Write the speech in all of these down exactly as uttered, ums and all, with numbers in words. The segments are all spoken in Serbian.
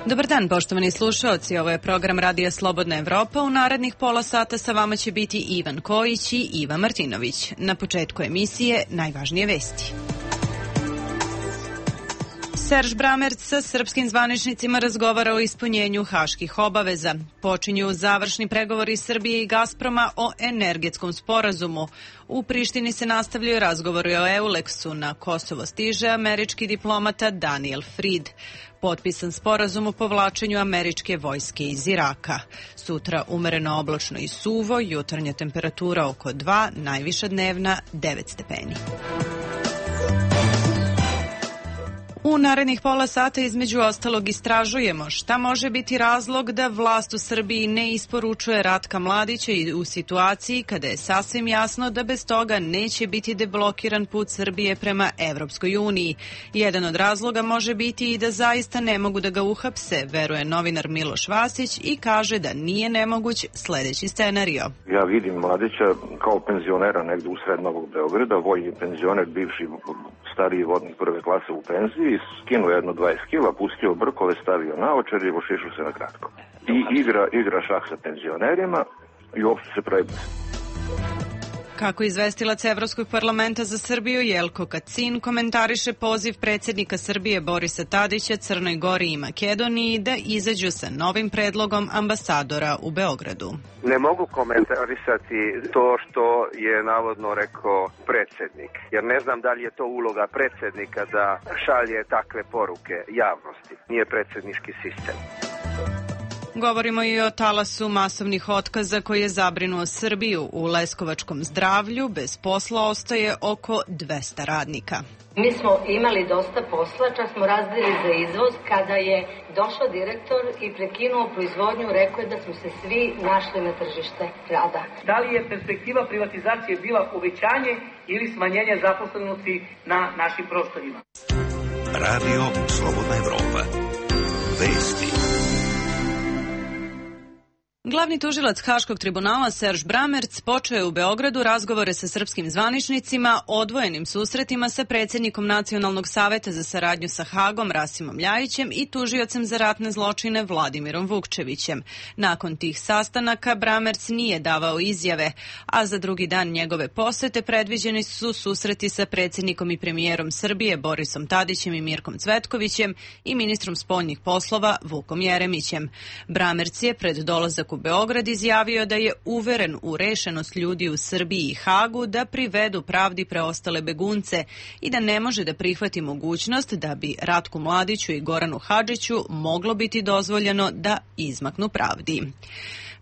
Dobar dan, poštovani slušaoci. Ovo je program Radija Slobodna Evropa. U narednih pola sata sa vama će biti Ivan Kojić i Iva Martinović. Na početku emisije najvažnije vesti. Serž Bramerc sa srpskim zvaničnicima razgovara o ispunjenju haških obaveza. Počinju završni pregovori Srbije i Gazproma o energetskom sporazumu. U Prištini se nastavljaju razgovori o Euleksu. Na Kosovo stiže američki diplomata Daniel Fried. Potpisan sporazum o povlačenju američke vojske iz Iraka. Sutra umereno oblačno i suvo, jutarnja temperatura oko dva, najviša dnevna devet stepeni. U narednih pola sata između ostalog istražujemo šta može biti razlog da vlast u Srbiji ne isporučuje Ratka Mladića i u situaciji kada je sasvim jasno da bez toga neće biti deblokiran put Srbije prema Evropskoj uniji. Jedan od razloga može biti i da zaista ne mogu da ga uhapse, veruje novinar Miloš Vasić i kaže da nije nemoguć sledeći scenario. Ja vidim Mladića kao penzionera negde u sred Novog Beograda, vojni penzioner, bivši stariji vodnik prve klase u penziji, skinuo jedno dvadeset kila, pustio brkove, stavio naočar i ošišao se na kratko. I igra, igra šah sa penzionerima i uopšte se pravi. Kako izvestilac Evropskog parlamenta za Srbiju Jelko Kacin komentariše poziv predsjednika Srbije Borisa Tadića Crnoj Gori i Makedoniji da izađu sa novim predlogom ambasadora u Beogradu. Ne mogu komentarisati to što je navodno rekao predsjednik, jer ne znam da li je to uloga predsjednika da šalje takve poruke javnosti. Nije predsjednički sistem. Govorimo i o talasu masovnih otkaza koji je zabrinuo Srbiju. U Leskovačkom zdravlju bez posla ostaje oko dvesta radnika. Mi smo imali dosta posla, čak smo razdeli za izvoz. Kada je došao direktor i prekinuo proizvodnju, rekao je da smo se svi našli na tržište rada. Da li je perspektiva privatizacije bila uvećanje ili smanjenje zaposlenosti na našim prostorima? Radio Slobodna Evropa. Vesti. Glavni tužilac Haškog tribunala Serž Bramerc počeo je u Beogradu razgovore sa srpskim zvaničnicima, odvojenim susretima sa predsjednikom Nacionalnog saveta za saradnju sa Hagom Rasimom Ljajićem i tužiocem za ratne zločine Vladimirom Vukčevićem. Nakon tih sastanaka Bramerc nije davao izjave, a za drugi dan njegove posete predviđeni su susreti sa predsjednikom i premijerom Srbije Borisom Tadićem i Mirkom Cvetkovićem i ministrom spoljnih poslova Vukom Jeremićem. Bramerc je pred dolazak u Beograd izjavio da je uveren u rešenost ljudi u Srbiji i Hagu da privedu pravdi preostale begunce i da ne može da prihvati mogućnost da bi Ratku Mladiću i Goranu Hadžiću moglo biti dozvoljeno da izmaknu pravdi.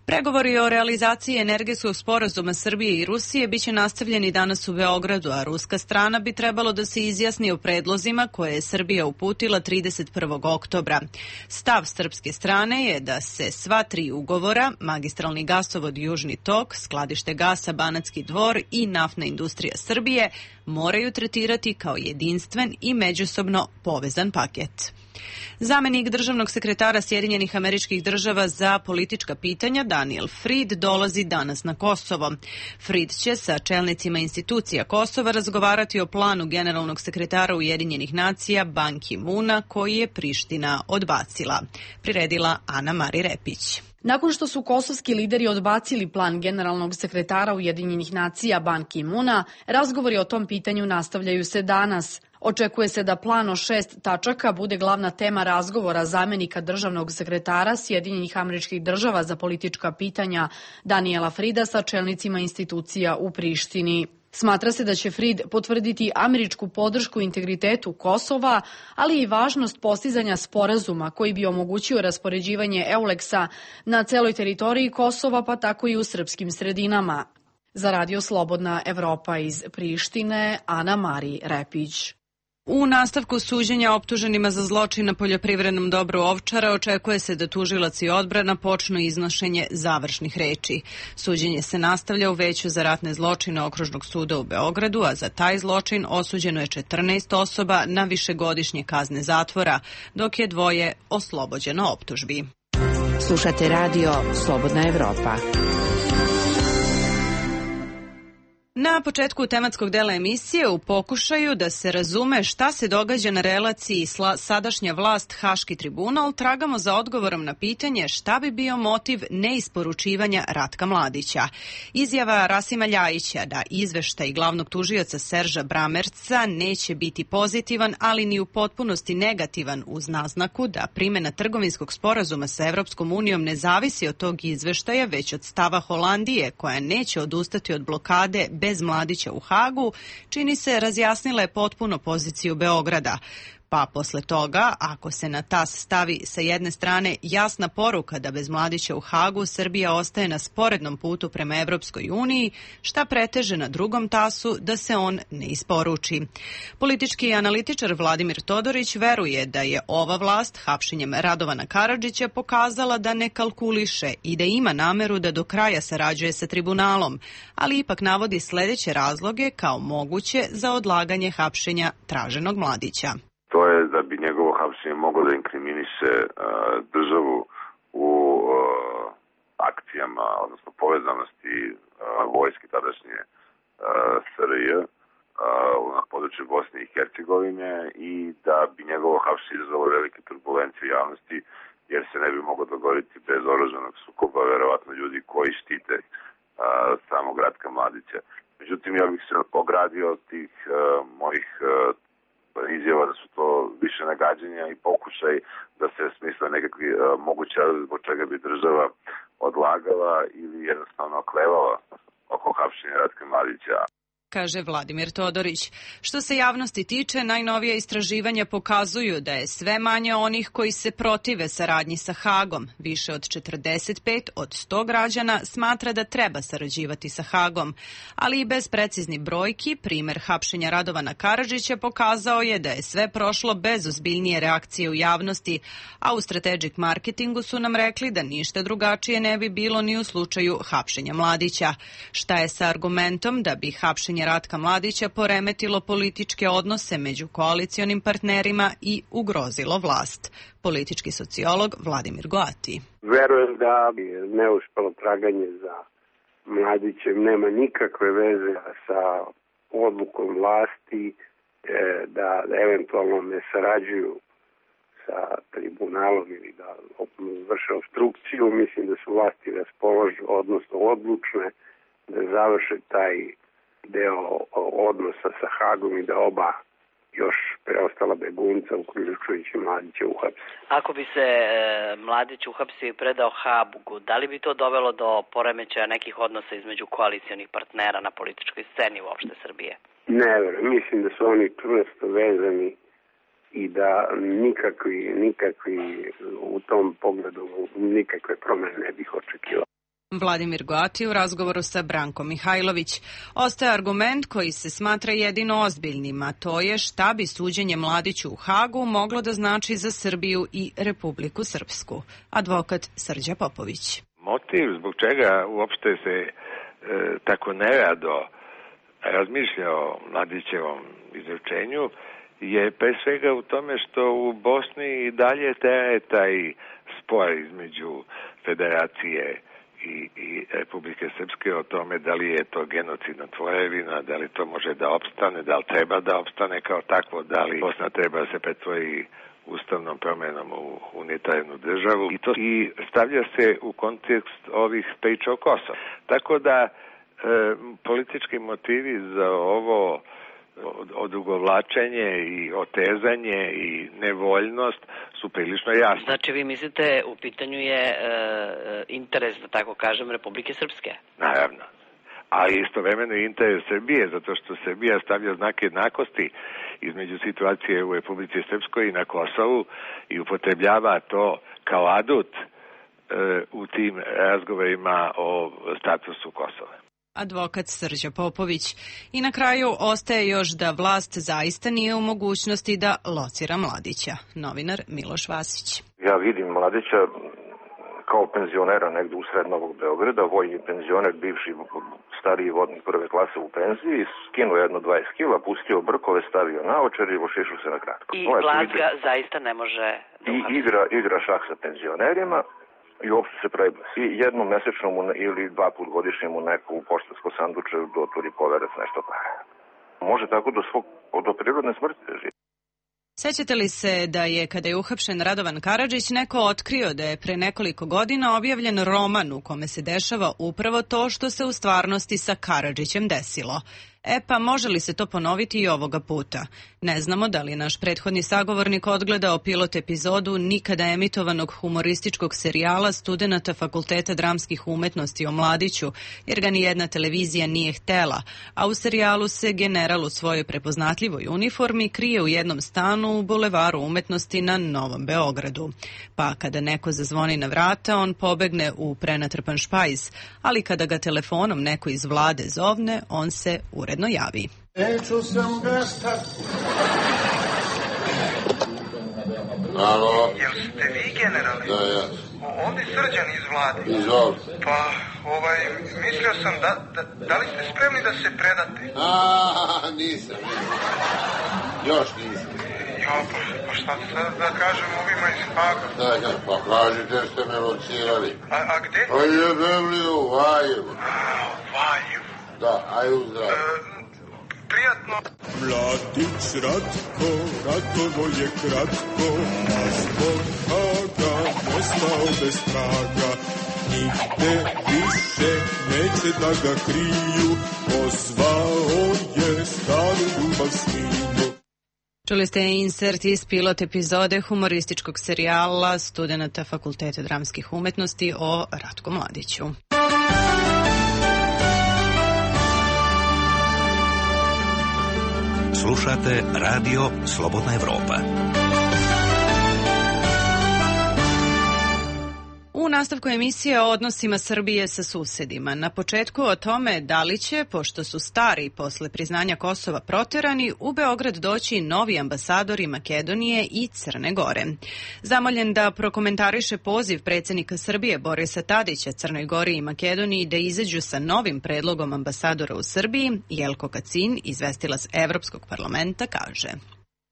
Pregovori o realizaciji energetskog sporazuma Srbije i Rusije biće nastavljeni danas u Beogradu, a ruska strana bi trebalo da se izjasni o predlozima koje je Srbija uputila trideset prvog oktobra. Stav srpske strane je da se sva tri ugovora, magistralni gasovod Južni tok, skladište gasa Banatski Dvor i naftna industrija Srbije, moraju tretirati kao jedinstven i međusobno povezan paket. Zamenik državnog sekretara Sjedinjenih Američkih Država za politička pitanja Daniel Fried dolazi danas na Kosovo. Fried će sa čelnicima institucija Kosova razgovarati o planu generalnog sekretara Ujedinjenih nacija Ban Ki-moona koji je Priština odbacila. Priredila Ana Mari Repić. Nakon što su kosovski lideri odbacili plan generalnog sekretara Ujedinjenih nacija Ban Ki-moona, razgovori o tom pitanju nastavljaju se danas. Očekuje se da plan o šest tačaka bude glavna tema razgovora zamenika državnog sekretara Sjedinjenih Američkih Država za politička pitanja Daniela Frieda sa čelnicima institucija u Prištini. Smatra se da će Fried potvrditi američku podršku integritetu Kosova, ali i važnost postizanja sporazuma koji bi omogućio raspoređivanje Euleksa na celoj teritoriji Kosova, pa tako i u srpskim sredinama. Za Radio Slobodna Evropa iz Prištine, Ana Mari Repić. U nastavku suđenja optuženima za zločin na poljoprivrednom dobru Ovčara očekuje se da tužilac i odbrana počnu iznošenje završnih reči. Suđenje se nastavlja u Veću za ratne zločine Okružnog suda u Beogradu, a za taj zločin osuđeno je četrnaest osoba na višegodišnje kazne zatvora, dok je dvoje oslobođeno optužbi. Slušate Radio Slobodna Evropa. Na početku tematskog dela emisije u pokušaju da se razume šta se događa na relaciji sadašnja vlast Haški tribunal, tragamo za odgovorom na pitanje šta bi bio motiv neisporučivanja Ratka Mladića. Izjava Rasima Ljajića da izveštaj glavnog tužioca Serža Bramerca neće biti pozitivan, ali ni u potpunosti negativan, uz naznaku da primjena trgovinskog sporazuma sa Evropskom unijom ne zavisi od tog izveštaja, već od stava Holandije, koja neće odustati od blokade bez Mladića u Hagu, čini se razjasnila je potpuno poziciju Beograda. Pa posle toga, ako se na tas stavi sa jedne strane jasna poruka da bez Mladića u Hagu Srbija ostaje na sporednom putu prema Evropskoj uniji, šta preteže na drugom tasu da se on ne isporuči. Politički analitičar Vladimir Todorić veruje da je ova vlast hapšenjem Radovana Karadžića pokazala da ne kalkuliše i da ima nameru da do kraja sarađuje sa tribunalom, ali ipak navodi sledeće razloge kao moguće za odlaganje hapšenja traženog Mladića. To je da bi njegovo hapšenje moglo da inkriminiše uh, državu u uh, akcijama, odnosno povezanosti uh, vojske tadašnje uh, S R J uh, na području Bosne i Hercegovine i da bi njegovo hapšenje izazvalo velike turbulencije u javnosti, jer se ne bi moglo dogoditi bez oružanog sukoba, verovatno ljudi koji štite uh, samog Ratka Mladića. Međutim, ja bih se ogradio od tih uh, mojih uh, izjava da su to više nagađanja i pokušaj da se smisle nekakvi uh, moguće zbog čega bi država odlagala ili jednostavno oklevala oko hapšenja Ratka Mladića. Kaže Vladimir Todorić. Što se javnosti tiče, najnovija istraživanja pokazuju da je sve manje onih koji se protive saradnji sa Hagom. Više od četrdeset pet od sto građana smatra da treba sarađivati sa Hagom. Ali i bez preciznih brojki, primer hapšenja Radovana Karadžića pokazao je da je sve prošlo bez ozbiljnije reakcije u javnosti, a u Strategic Marketingu su nam rekli da ništa drugačije ne bi bilo ni u slučaju hapšenja Mladića. Šta je sa argumentom da bi hapšenje Ratka Mladića poremetilo političke odnose među koalicionim partnerima i ugrozilo vlast? Politički sociolog Vladimir Goati. Verujem da neuspelo traganje za Mladićem nema nikakve veze sa odlukom vlasti da eventualno ne sarađuju sa tribunalom ili da vrše obstrukciju. Mislim da su vlasti raspoložene, odnosno odlučne da završe taj deo odnosa sa Hagom i da oba još preostala begunca, uključujući Mladića, uhapsi. Ako bi se e, Mladić uhapsio i predao Hagu, da li bi to dovelo do poremećaja nekih odnosa između koalicionih partnera na političkoj sceni uopšte Srbije? Ne, mislim da su oni čvrsto vezani i da nikakvi, nikakvi u tom pogledu nikakve promene ne bih očekivao. Vladimir Goati u razgovoru sa Brankom Mihajlović. Ostaje argument koji se smatra jedino ozbiljnim, a to je šta bi suđenje Mladiću u Hagu moglo da znači za Srbiju i Republiku Srpsku. Advokat Srđa Popović. Motiv zbog čega uopšte se e, tako nerado razmišlja o Mladićevom izručenju je pre svega u tome što u Bosni i dalje traje taj spor između Federacije I, i Republike Srpske o tome da li je to genocidna tvorevina, da li to može da opstane, da li treba da opstane kao takvo, da li Bosna treba da se pretvori ustavnom promenom u unitarnu državu i to i stavlja se u kontekst ovih priča o Kosovu. Tako da e, politički motivi za ovo odugovlačenje i otezanje i nevoljnost su prilično jasne. Znači vi mislite u pitanju je e, interes, da tako kažem, Republike Srpske? Naravno. A istovremeno i interes Srbije, zato što Srbija stavlja znak jednakosti između situacije u Republici Srpskoj i na Kosovu i upotrebljava to kao adut e, u tim razgovorima o statusu Kosova. Advokat Srđa Popović. I na kraju ostaje još da vlast zaista nije u mogućnosti da locira Mladića. Novinar Miloš Vasić. Ja vidim Mladića kao penzionera negde u sred Novog Beograda, vojni penzioner, bivši stariji vodnik prve klase u penziji, skinuo jedno dvadeset kila, pustio brkove, stavio naočar i vošišu se na kratko. I vlast ga zaista ne može da I igra, igra šah sa penzionerima. i uopšte se pravi i jednom mesečno mu ili dva put godišnje mu neko u poštansko sanduče doturi poverac nešto para. Može tako do svog, do prirodne smrti da živi. Sećate li se da je, kada je uhapšen Radovan Karadžić, neko otkrio da je pre nekoliko godina objavljen roman u kome se dešava upravo to što se u stvarnosti sa Karadžićem desilo? E pa, može li se to ponoviti i ovoga puta? Ne znamo da li je naš prethodni sagovornik odgledao pilot epizodu nikada emitovanog humorističkog serijala studenata Fakulteta dramskih umetnosti o Mladiću, jer ga nijedna televizija nije htela, a u serijalu se general u svojoj prepoznatljivoj uniformi krije u jednom stanu u Bulevaru umetnosti na Novom Beogradu. Pa kada neko zazvoni na vrata, on pobegne u prenatrpan špajz, ali kada ga telefonom neko iz vlade zovne, on se uredno javi. Neću sam gasta. Alo. Jel ste vi, generale? Da, ja. Ovdje Srđan iz vlade. Izvoli. Pa, ovaj, mislio sam da, da, da li ste spremni da se predate? A, nisam, nisam. Još nisam. Jo, pa, pa šta sad da kažem ovima iz Haga? Da, da, pa kažite ste me locirali. A, a gde? Pa jebem li u Valjevu. A, u Valjevu. Da, aj u zdravu. E, prijatno. Mladić Ratko, ratovo je kratko, a zbog Haga nestao bez traga. Nigde više neće da ga kriju, pozvao je staru ljubav sninu. Čuli ste insert iz pilot epizode humorističkog serijala studenata Fakulteta dramskih umetnosti o Ratku Mladiću. Slušate Radio Slobodna Evropa. U nastavku emisije o odnosima Srbije sa susedima. Na početku o tome da li će, pošto su stari posle priznanja Kosova proterani, u Beograd doći novi ambasadori Makedonije i Crne Gore. Zamoljen da prokomentariše poziv predsjednika Srbije Borisa Tadića Crnoj Gori i Makedoniji da izađu sa novim predlogom ambasadora u Srbiji, Jelko Kacin, izvestilac Evropskog parlamenta, kaže: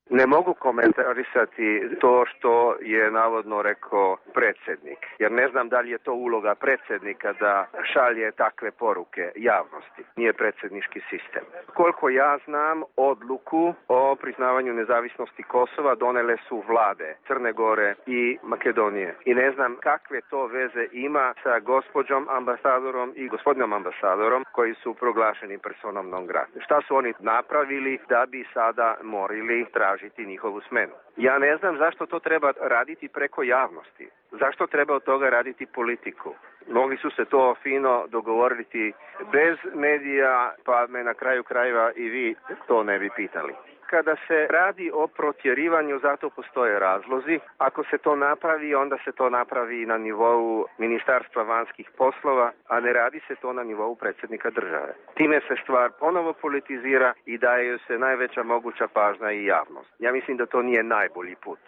Ne mogu komentarisati to što je navodno rekao predsjednik, jer ne znam da li je to uloga predsjednika da šalje takve poruke javnosti. Nije predsjednički sistem. Koliko ja znam, odluku o priznavanju nezavisnosti Kosova donele su vlade Crne Gore i Makedonije. I ne znam kakve to veze ima sa gospođom ambasadorom i gospodinom ambasadorom koji su proglašeni personom non grata. Šta su oni napravili da bi sada morali tražiti njihovu smenu? Ja ne znam zašto to treba raditi preko javnosti. Zašto treba od toga raditi politiku? Mogli su se to fino dogovoriti bez medija, pa me na kraju krajeva i vi to ne bi pitali. Kada se radi o protjerivanju, zato postoje razlozi. Ako se to napravi, onda se to napravi na nivou Ministarstva vanjskih poslova, a ne radi se to na nivou predsjednika države. Time se stvar ponovo politizira i daje se najveća moguća pažnja i javnost. Ja mislim da to nije najbolji put.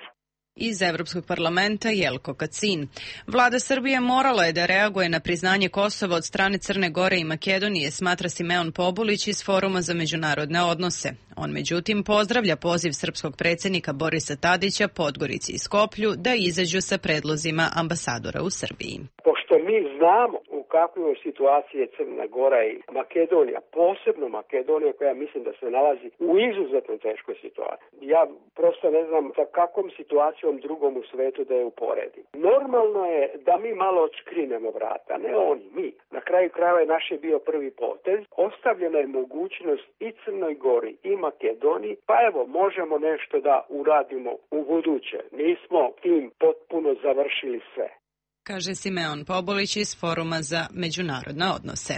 Iz Evropskog parlamenta Jelko Kacin. Vlada Srbije morala je da reaguje na priznanje Kosova od strane Crne Gore i Makedonije, smatra Simeon Pobulić iz Foruma za međunarodne odnose. On međutim pozdravlja poziv srpskog predsjednika Borisa Tadića, Podgorici i Skoplju da izađu sa predlozima ambasadora u Srbiji. Pošto mi znamo u kakvoj situaciji je Crna Gora i Makedonija, posebno Makedonija koja mislim da se nalazi u izuzetno teškoj situaciji. Ja prosto ne znam sa kakvom situacijom drugom u svetu da je uporedim. Normalno je da mi malo odškrinemo vrata, ne oni, mi. Na kraju krajeva je naš je bio prvi potez. Ostavljena je mogućnost i Crnoj Gori i Makedoniji, pa evo možemo nešto da uradimo u buduće. Nismo tim potpuno završili sve, kaže Simeon Pobulić iz Foruma za međunarodne odnose.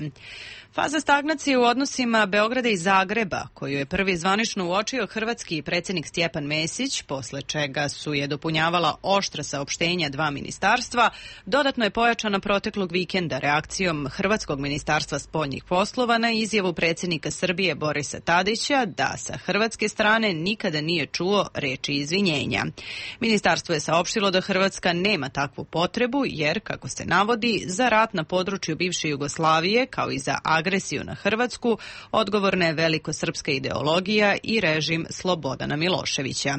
Faza stagnacije u odnosima Beograda i Zagreba, koju je prvi zvanično uočio hrvatski predsjednik Stjepan Mesić, posle čega su je dopunjavala oštra saopštenja dva ministarstva, dodatno je pojačana proteklog vikenda reakcijom Hrvatskog ministarstva spoljnih poslova na izjavu predsjednika Srbije Borisa Tadića da sa hrvatske strane nikada nije čuo reči izvinjenja. Ministarstvo je saopštilo da Hrvatska nema takvu potrebu, jer, kako se navodi, za rat na području bivše Jugoslavije, kao i za agresiju na Hrvatsku odgovorna je velikosrpska ideologija i režim Slobodana Miloševića.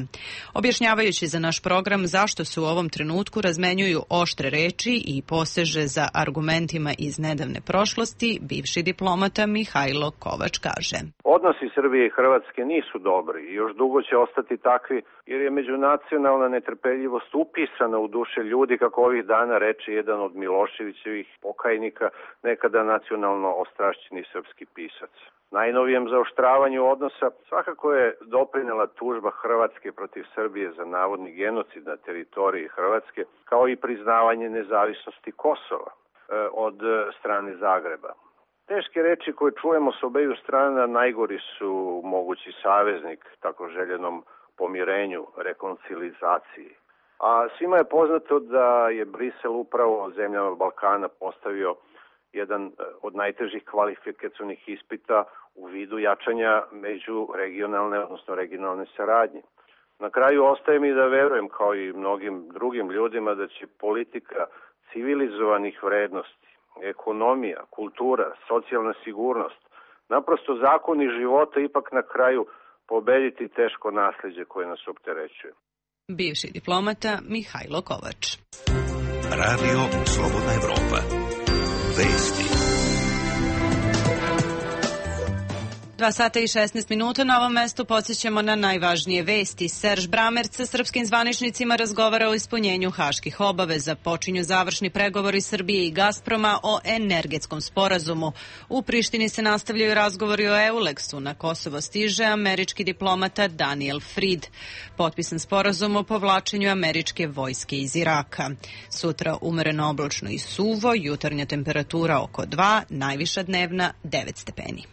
Objašnjavajući za naš program zašto se u ovom trenutku razmenjuju oštre reči i poseže za argumentima iz nedavne prošlosti, bivši diplomata Mihajlo Kovač kaže: Odnosi Srbije i Hrvatske nisu dobri i još dugo će ostati takvi, jer je međunacionalna netrpeljivost upisana u duše ljudi, kako ovih dana reče jedan od Miloševićevih pokajnika, nekada nacionalno ostrašćeni srpski pisac. Najnovijem zaoštravanju odnosa svakako je doprinela tužba Hrvatske protiv Srbije za navodni genocid na teritoriji Hrvatske, kao i priznavanje nezavisnosti Kosova od strane Zagreba. Teške reči koje čujemo s obeju strana najgori su mogući saveznik tako željenom pomirenju, rekoncilizaciji. A svima je poznato da je Brisel upravo zemljama Balkana postavio jedan od najtežih kvalifikacionih ispita u vidu jačanja međuregionalne, odnosno regionalne saradnje. Na kraju ostaje mi da verujem, kao i mnogim drugim ljudima, da će politika civilizovanih vrednosti, ekonomija, kultura, socijalna sigurnost, naprosto zakoni života ipak na kraju pobediti teško nasljeđe koje nas opterećuje. Bivši diplomata Mihajlo Kovač. Radio Slobodna Evropa. Vesti. Dva sata i šesnaest minuta na ovom mestu podsjećamo na najvažnije vesti. Serž Bramerc sa srpskim zvaničnicima razgovara o ispunjenju haških obaveza. Počinju završni pregovori Srbije i Gazproma o energetskom sporazumu. U Prištini se nastavljaju razgovori o Euleksu. Na Kosovo stiže američki diplomata Daniel Fried. Potpisan sporazum o povlačenju američke vojske iz Iraka. Sutra umereno oblačno i suvo, jutarnja temperatura oko dva, najviša dnevna devet stepeni.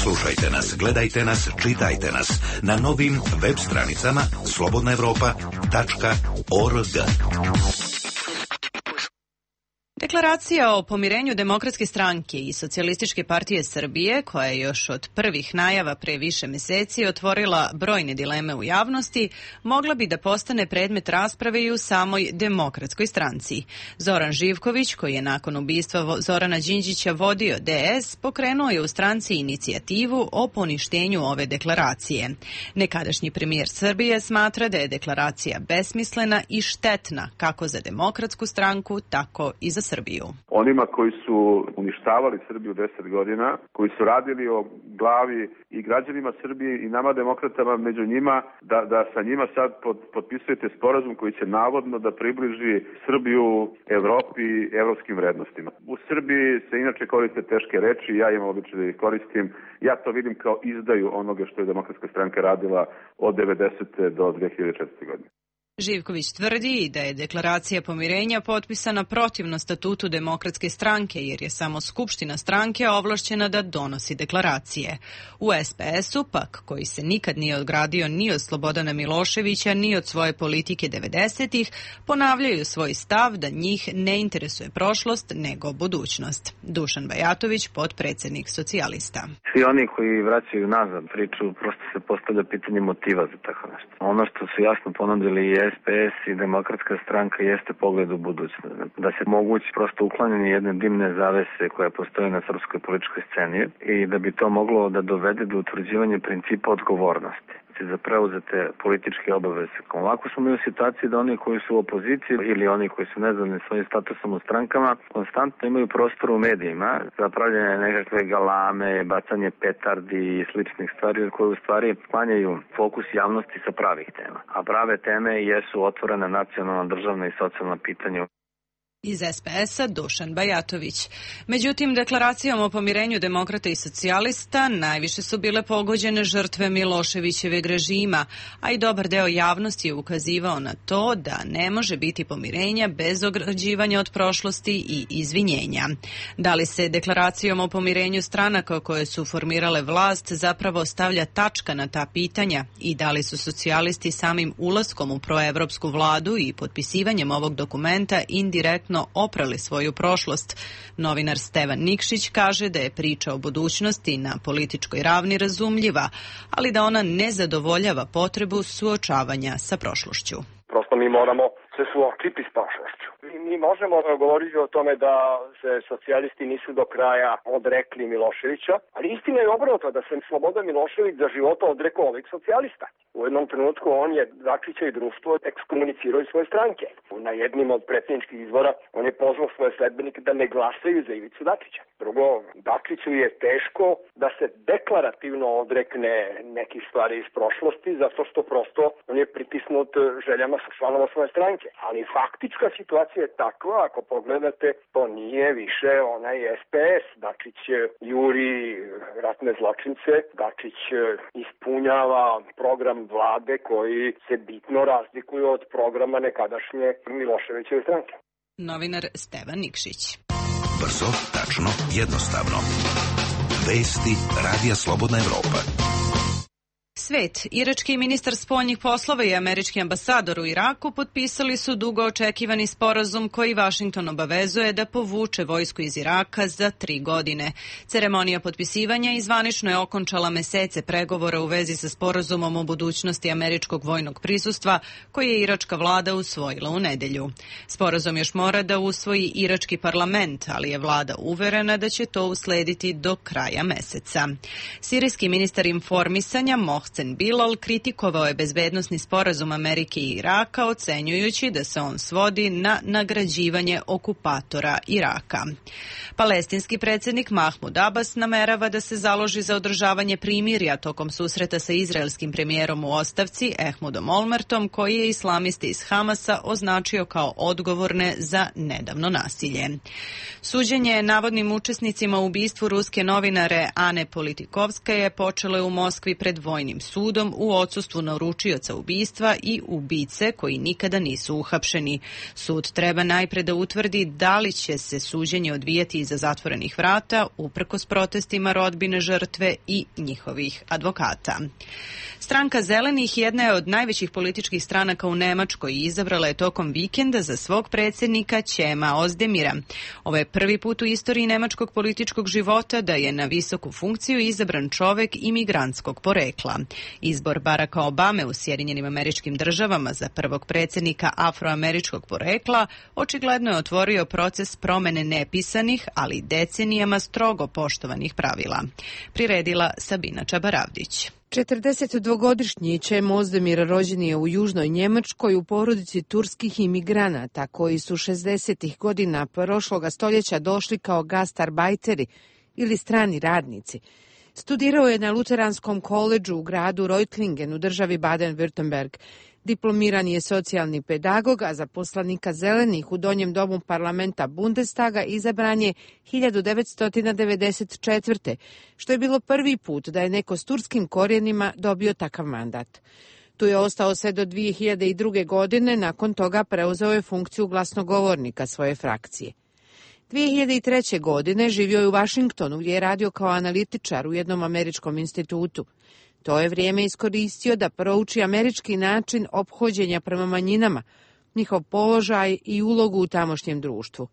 Slušajte nas, gledajte nas, čitajte nas na novim web stranicama slobodna evropa tačka org. Deklaracija o pomirenju Demokratske stranke i Socijalističke partije Srbije, koja je još od prvih najava pre više meseci otvorila brojne dileme u javnosti, mogla bi da postane predmet rasprave i u samoj Demokratskoj stranci. Zoran Živković, koji je nakon ubistva Zorana Đinđića vodio D S, pokrenuo je u stranci inicijativu o poništenju ove deklaracije. Nekadašnji premijer Srbije smatra da je deklaracija besmislena i štetna kako za Demokratsku stranku, tako i za Srbiju. Onima koji su uništavali Srbiju deset godina, koji su radili o glavi i građanima Srbije i nama demokratama među njima, da, da sa njima sad pod, potpisujete sporazum koji će navodno da približi Srbiju Evropi i evropskim vrednostima. U Srbiji se inače koriste teške reči, ja imam običaj da ih koristim. Ja to vidim kao izdaju onoga što je Demokratska stranka radila od devedesete do dve hiljade četvrte. godine. Živković tvrdi da je deklaracija pomirenja potpisana protivno statutu Demokratske stranke, jer je samo skupština stranke ovlašćena da donosi deklaracije. U S P S-u pak, koji se nikad nije ogradio ni od Slobodana Miloševića, ni od svoje politike devedesetih, ponavljaju svoj stav da njih ne interesuje prošlost, nego budućnost. Dušan Bajatović, potpredsednik socijalista. Svi oni koji vraćaju nazad priču, prosto se postavlja pitanje motiva za tako nešto. Ono što su jasno ponudili je S P S i Demokratska stranka jeste pogled u budućnost. Da se mogući prosto uklanjanje jedne dimne zavese koja postoji na srpskoj političkoj sceni i da bi to moglo da dovede do utvrđivanja principa odgovornosti za preuzete političke obaveze. Ovako smo mi u situaciji da oni koji su u opoziciji ili oni koji su nezadovoljni svojim statusom u strankama konstantno imaju prostor u medijima za pravljanje nekakve galame, bacanje petardi i sličnih stvari koje u stvari sklanjaju fokus javnosti sa pravih tema. A prave teme jesu otvorena nacionalna, državna i socijalna pitanja. Iz S P S-a Dušan Bajatović. Međutim, deklaracijom o pomirenju demokrata i socijalista najviše su bile pogođene žrtve Miloševićeveg režima, a i dobar deo javnosti je ukazivao na to da ne može biti pomirenja bez ograđivanja od prošlosti i izvinjenja. Da li se deklaracijom o pomirenju stranaka koje su formirale vlast zapravo stavlja tačka na ta pitanja i da li su socijalisti samim ulaskom u proevropsku vladu i potpisivanjem ovog dokumenta indirektno oprali svoju prošlost. Novinar Stevan Nikšić kaže da je priča o budućnosti na političkoj ravni razumljiva, ali da ona ne zadovoljava potrebu suočavanja sa prošlošću. Prosto mi moramo se suočiti s prošlošću. Mi možemo govoriti o tome da se socijalisti nisu do kraja odrekli Miloševića, ali istina je obrnuto, da se Slobodan Milošević za života odrekao ovih socijalista. U jednom trenutku on je Dačića i društvo ekskomunicirao iz svoje stranke. Na jednim od predsjedničkih izbora on je pozvao svoje sledbenike da ne glasaju za Ivicu Dačića. Drugo, Dačiću je teško da se deklarativno odrekne nekih stvari iz prošlosti, zato što prosto on je pritisnut željama članova svoje stranke. Ali faktička situacija je takva, ako pogledate, to nije više onaj S P S. Dačić juri ratne zločince, Dačić ispunjava program vlade koji se bitno razlikuje od programa nekadašnje Miloševićeve stranke. Novinar Stevan Nikšić. Brzo, tačno, jednostavno. Vesti Radija Slobodna Evropa. Svet, irački ministar spoljnih poslova i američki ambasador u Iraku potpisali su dugo očekivani sporazum koji Vašington obavezuje da povuče vojsku iz Iraka za tri godine. Ceremonija potpisivanja izvanično je okončala mesece pregovora u vezi sa sporazumom o budućnosti američkog vojnog prisustva koji je iračka vlada usvojila u nedelju. Sporazum još mora da usvoji irački parlament, ali je vlada uverena da će to uslediti do kraja meseca. Sirijski ministar informisanja Mohsen Bilal kritikovao je bezbednosni sporazum Amerike i Iraka, ocenjujući da se on svodi na nagrađivanje okupatora Iraka. Palestinski predsjednik Mahmud Abbas namerava da se založi za održavanje primirja tokom susreta sa izraelskim premijerom u ostavci Ehmudom Olmertom, koji je islamiste iz Hamasa označio kao odgovorne za nedavno nasilje. Suđenje navodnim učesnicima u ubistvu ruske novinare Ane Politikovskaje počelo je u Moskvi pred vojnim sudom u odsustvu naručioca ubistva i ubice koji nikada nisu uhapšeni. Sud treba najpre da utvrdi da li će se suđenje odvijati iza zatvorenih vrata, uprkos protestima rodbine žrtve i njihovih advokata. Stranka Zelenih jedna je od najvećih političkih stranaka u Nemačkoj i izabrala je tokom vikenda za svog predsjednika Ćema Ozdemira. Ovo je prvi put u istoriji nemačkog političkog života da je na visoku funkciju izabran čovek imigrantskog porekla. Izbor Baracka Obame u Sjedinjenim Američkim Državama za prvog predsjednika afroameričkog porekla očigledno je otvorio proces promene nepisanih, ali decenijama strogo poštovanih pravila. Priredila Sabina Čabaravdić. četrdesetdvogodišnji Ćem Ozdemir rođen je u južnoj Njemačkoj u porodici turskih imigranata koji su šezdesetih godina prošloga stoljeća došli kao gastarbajteri ili strani radnici. Studirao je na Luteranskom koledžu u gradu Reutlingen u državi Baden-Württemberg. Diplomiran je socijalni pedagog, a za poslanika Zelenih u donjem domu parlamenta Bundestaga izabran je hiljadu devetsto devedeset četvrte. što je bilo prvi put da je neko s turskim korijenima dobio takav mandat. Tu je ostao sve do dvije hiljade druge. godine, nakon toga preuzeo je funkciju glasnogovornika svoje frakcije. dvije hiljade treće. godine živio je u Vašingtonu gdje je radio kao analitičar u jednom američkom institutu. To je vrijeme iskoristio da prouči američki način ophođenja prema manjinama, njihov položaj i ulogu u tamošnjem društvu.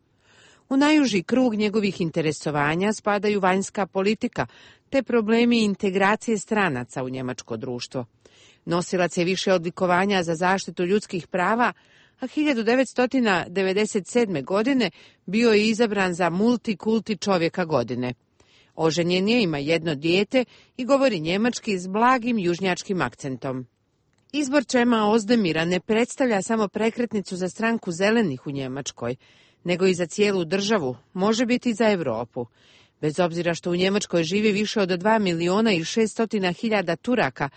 U najuži krug njegovih interesovanja spadaju vanjska politika te problemi integracije stranaca u njemačko društvo. Nosilac je više odlikovanja za zaštitu ljudskih prava, a hiljadu devetsto devedeset sedme. godine bio je izabran za multikulti čovjeka godine. Oženjen je, ima jedno dijete i govori njemački s blagim južnjačkim akcentom. Izbor Ćema Ozdemira ne predstavlja samo prekretnicu za stranku Zelenih u Njemačkoj, nego i za cijelu državu, može biti i za Europu. Bez obzira što u Njemačkoj živi više od dva miliona i šeststotina hiljada Turaka,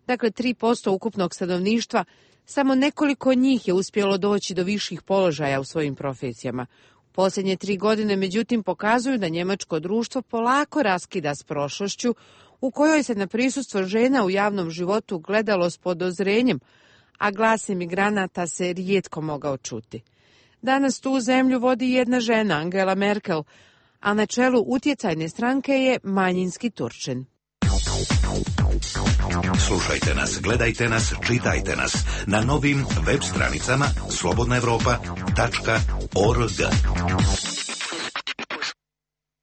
dakle tri posto ukupnog stanovništva, samo nekoliko njih je uspjelo doći do viših položaja u svojim profesijama. Posljednje tri godine, međutim, pokazuju da njemačko društvo polako raskida s prošlošću u kojoj se na prisustvo žena u javnom životu gledalo s podozrenjem, a glas imigranata se rijetko mogao čuti. Danas tu zemlju vodi jedna žena, Angela Merkel, a na čelu utjecajne stranke je manjinski Turčin. Slušajte nas, gledajte nas, čitajte nas na novim web stranicama slobodna evropa tačka org.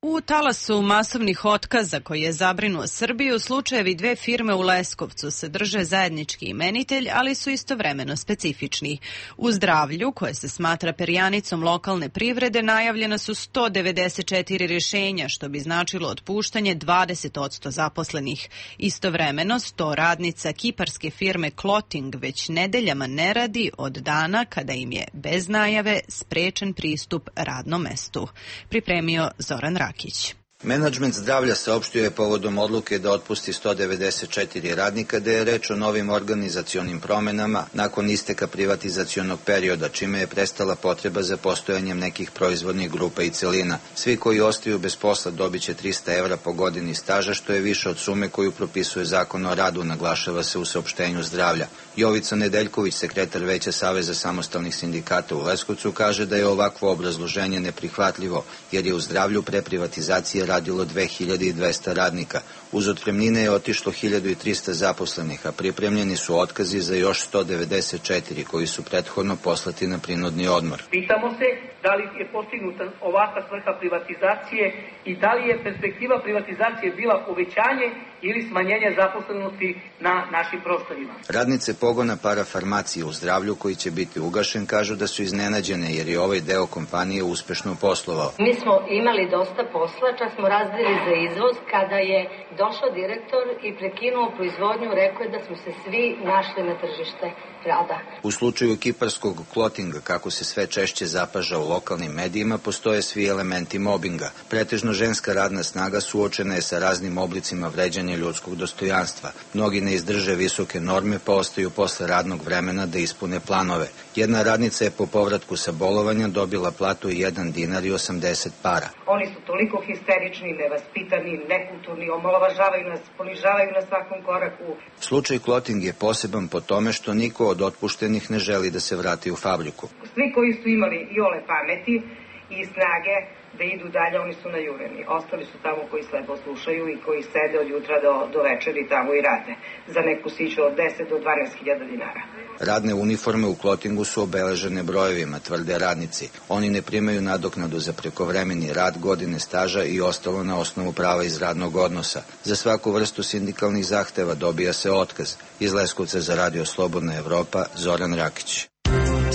U talasu masovnih otkaza koji je zabrinuo Srbiju, slučajevi dve firme u Leskovcu se drže zajednički imenitelj, ali su istovremeno specifični. U Zdravlju, koje se smatra perjanicom lokalne privrede, najavljena su sto devedeset četiri rješenja, što bi značilo otpuštanje dvadeset posto zaposlenih. Istovremeno, sto radnica kiparske firme Clothing već nedeljama ne radi od dana kada im je bez najave sprečen pristup radnom mestu. Pripremio Zoran Rakić. Menadžment Zdravlja saopštio je povodom odluke da otpusti sto devedeset četiri radnika da je reč o novim organizacionim promenama nakon isteka privatizacionog perioda, čime je prestala potreba za postojanjem nekih proizvodnih grupa i celina. Svi koji ostaju bez posla dobit će trista evra po godini staža, što je više od sume koju propisuje Zakon o radu, naglašava se u saopštenju Zdravlja. Jovica Nedeljković, sekretar Veća Saveza samostalnih sindikata u Leskovcu, kaže da je ovakvo obrazloženje neprihvatljivo, jer je u Zdravlju pre privatizacije radilo dve hiljade dvesta radnika. Uz otpremnine je otišlo hiljadu trista zaposlenih, a pripremljeni su otkazi za još sto devedeset četiri koji su prethodno poslati na prinudni odmor. Pitamo se da li je postignuta ovakva svrha privatizacije i da li je perspektiva privatizacije bila uvećanje ili smanjenje zaposlenosti na našim prostorima. Radnice pogona parafarmacije u Zdravlju, koji će biti ugašen, kažu da su iznenađene jer je ovaj deo kompanije uspešno poslovao. Mi smo imali dosta posla, čak smo razdeli za izvoz kada je došao direktor i prekinuo proizvodnju, rekao je da smo se svi našli na tržište rada. U slučaju kiparskog Clothinga, kako se sve češće zapaža u lokalnim medijima, postoje svi elementi mobinga. Pretežno ženska radna snaga suočena je sa raznim oblicima vređanja ljudskog dostojanstva. Mnogi ne izdrže visoke norme pa ostaju posle radnog vremena da ispune planove. Jedna radnica je po povratku sa bolovanja dobila platu jedan dinar i osamdeset para. Oni su toliko histerični, nevaspitani, nekulturni, omalovažavaju nas, ponižavaju na svakom koraku. Slučaj Clothing je poseban po tome što niko od otpuštenih ne želi da se vrati u fabriku. Svi koji su imali iole pameti i snage da idu dalje, oni su najureni. Ostali su tamo koji slepo slušaju i koji sede od jutra do, do večeri tamo i rade za neku siću od deset do dvanaest hiljada dinara. Radne uniforme u Clothingu su obeležene brojevima, tvrde radnici. Oni ne primaju nadoknadu za prekovremeni rad, godine staža i ostalo na osnovu prava iz radnog odnosa. Za svaku vrstu sindikalnih zahteva dobija se otkaz. Iz Leskovca za Radio Slobodna Evropa, Zoran Rakić.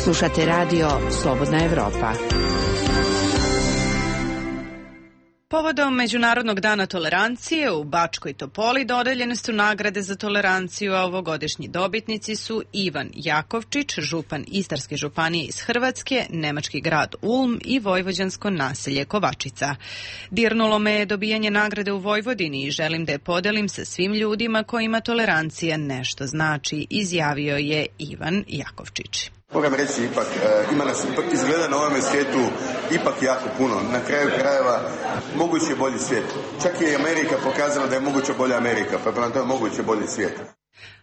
Slušate Radio Slobodna Evropa. Povodom Međunarodnog dana tolerancije u Bačkoj Topoli dodeljene su nagrade za toleranciju, a ovogodišnji dobitnici su Ivan Jakovčić, župan Istarske županije iz Hrvatske, nemački grad Ulm i vojvođansko naselje Kovačica. Dirnulo me je dobijanje nagrade u Vojvodini i želim da je podelim sa svim ljudima kojima tolerancija nešto znači, izjavio je Ivan Jakovčić. Moram reći, ipak, ima nas ipak izgleda na ovome svijetu ipak jako puno. Na kraju krajeva moguće je bolji svijet. Čak je i Amerika pokazala da je moguće bolja Amerika, pa prema tome moguće bolji svijet.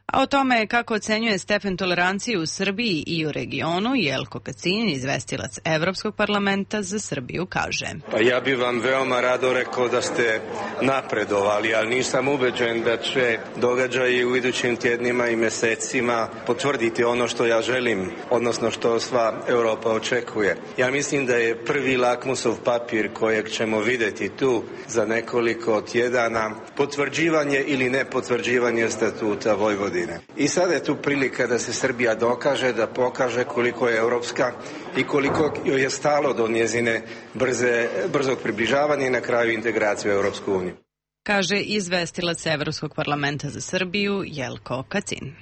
A o tome kako ocenjuje stepen tolerancije u Srbiji i u regionu, Jelko Kacin, izvestilac Evropskog parlamenta za Srbiju, kaže. Pa ja bih vam veoma rado rekao da ste napredovali, ali nisam ubeđen da će događaji u idućim tjednima i mesecima potvrditi ono što ja želim, odnosno što sva Europa očekuje. Ja mislim da je prvi lakmusov papir kojeg ćemo vidjeti tu za nekoliko tjedana potvrđivanje ili nepotvrđivanje statuta Vojvodine. I sada je tu prilika da se Srbija dokaže, da pokaže koliko je europska i koliko joj je stalo do njezine brze, brzog približavanja i na kraju integracije u Europsku uniju. Kaže izvestilac Evropskog parlamenta za Srbiju Jelko Kacin.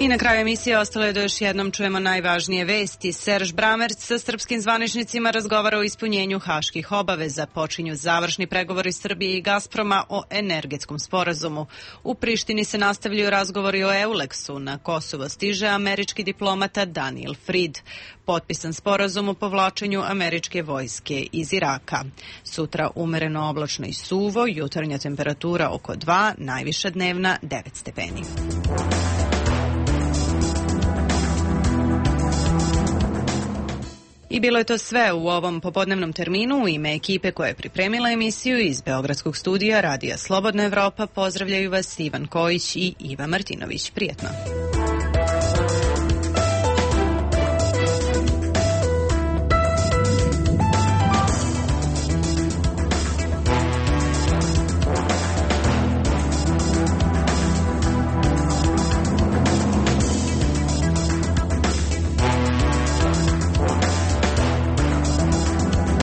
I na kraju emisije ostalo je da još jednom čujemo najvažnije vesti. Serž Bramerc sa srpskim zvaničnicima razgovara o ispunjenju haških obaveza. Počinju završni pregovori Srbije i Gazproma o energetskom sporazumu. U Prištini se nastavljaju razgovori o Euleksu. Na Kosovo stiže američki diplomata Daniel Fried. Potpisan sporazum o povlačenju američke vojske iz Iraka. Sutra umereno oblačno i suvo, jutarnja temperatura oko dva, najviša dnevna devet stepeni. I bilo je to sve u ovom popodnevnom terminu. U ime ekipe koja je pripremila emisiju iz Beogradskog studija Radija Slobodna Evropa pozdravljaju vas Ivan Kojić i Iva Martinović. Prijetno.